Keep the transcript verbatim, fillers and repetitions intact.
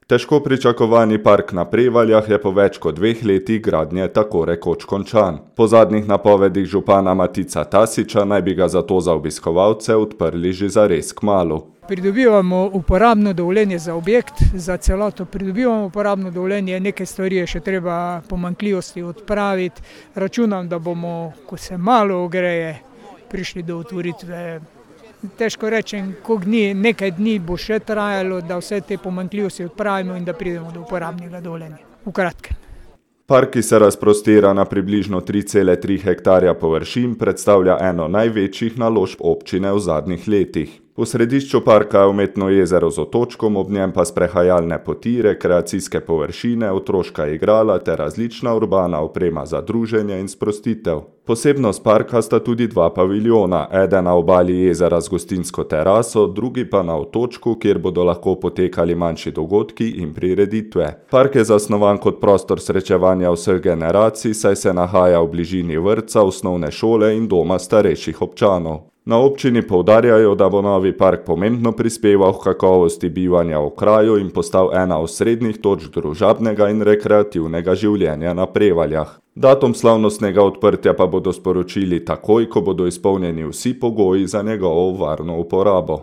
Težko pričakovani park na Prevaljah je po več kot dveh letih gradnje tako rekoč končan. Po zadnjih napovedih župana Matica Tasića naj bi ga zato za obiskovalce odprli že zares kmalu. Pridobivamo uporabno dovoljenje za objekt, za celoto pridobivamo uporabno dovoljenje, nekaj stvari je še treba pomanjkljivosti odpraviti. Računam, da bomo, ko se malo ogreje, prišli do otvoritve. Težko rečem, koliko dni, nekaj dni bo še trajalo, da vse te pomanjkljivosti odpravimo in da pridemo do uporabnega dovoljenja. V kratkem. Park, ki se razprostira na približno tri cele tri hektarja površin, predstavlja eno največjih naložb občine v zadnjih letih. V središču parka je umetno jezero z otočkom, ob njem pa sprehajalne poti, rekreacijske površine, otroška igrala ter različna urbana oprema za druženje in sprostitev. Posebnost parka sta tudi dva paviljona, eden na obali jezera z gostinsko teraso, drugi pa na otočku, kjer bodo lahko potekali manjši dogodki in prireditve. Park je zasnovan kot prostor srečevanja vseh generacij, saj se nahaja v bližini vrtca, osnovne šole in doma starejših občanov. Na občini poudarjajo, da bo novi park pomembno prispeval k kakovosti bivanja v kraju in postal ena osrednjih točk družabnega in rekreativnega življenja na Prevaljah. Datum slavnostnega odprtja pa bodo sporočili takoj, ko bodo izpolnjeni vsi pogoji za njegovo varno uporabo.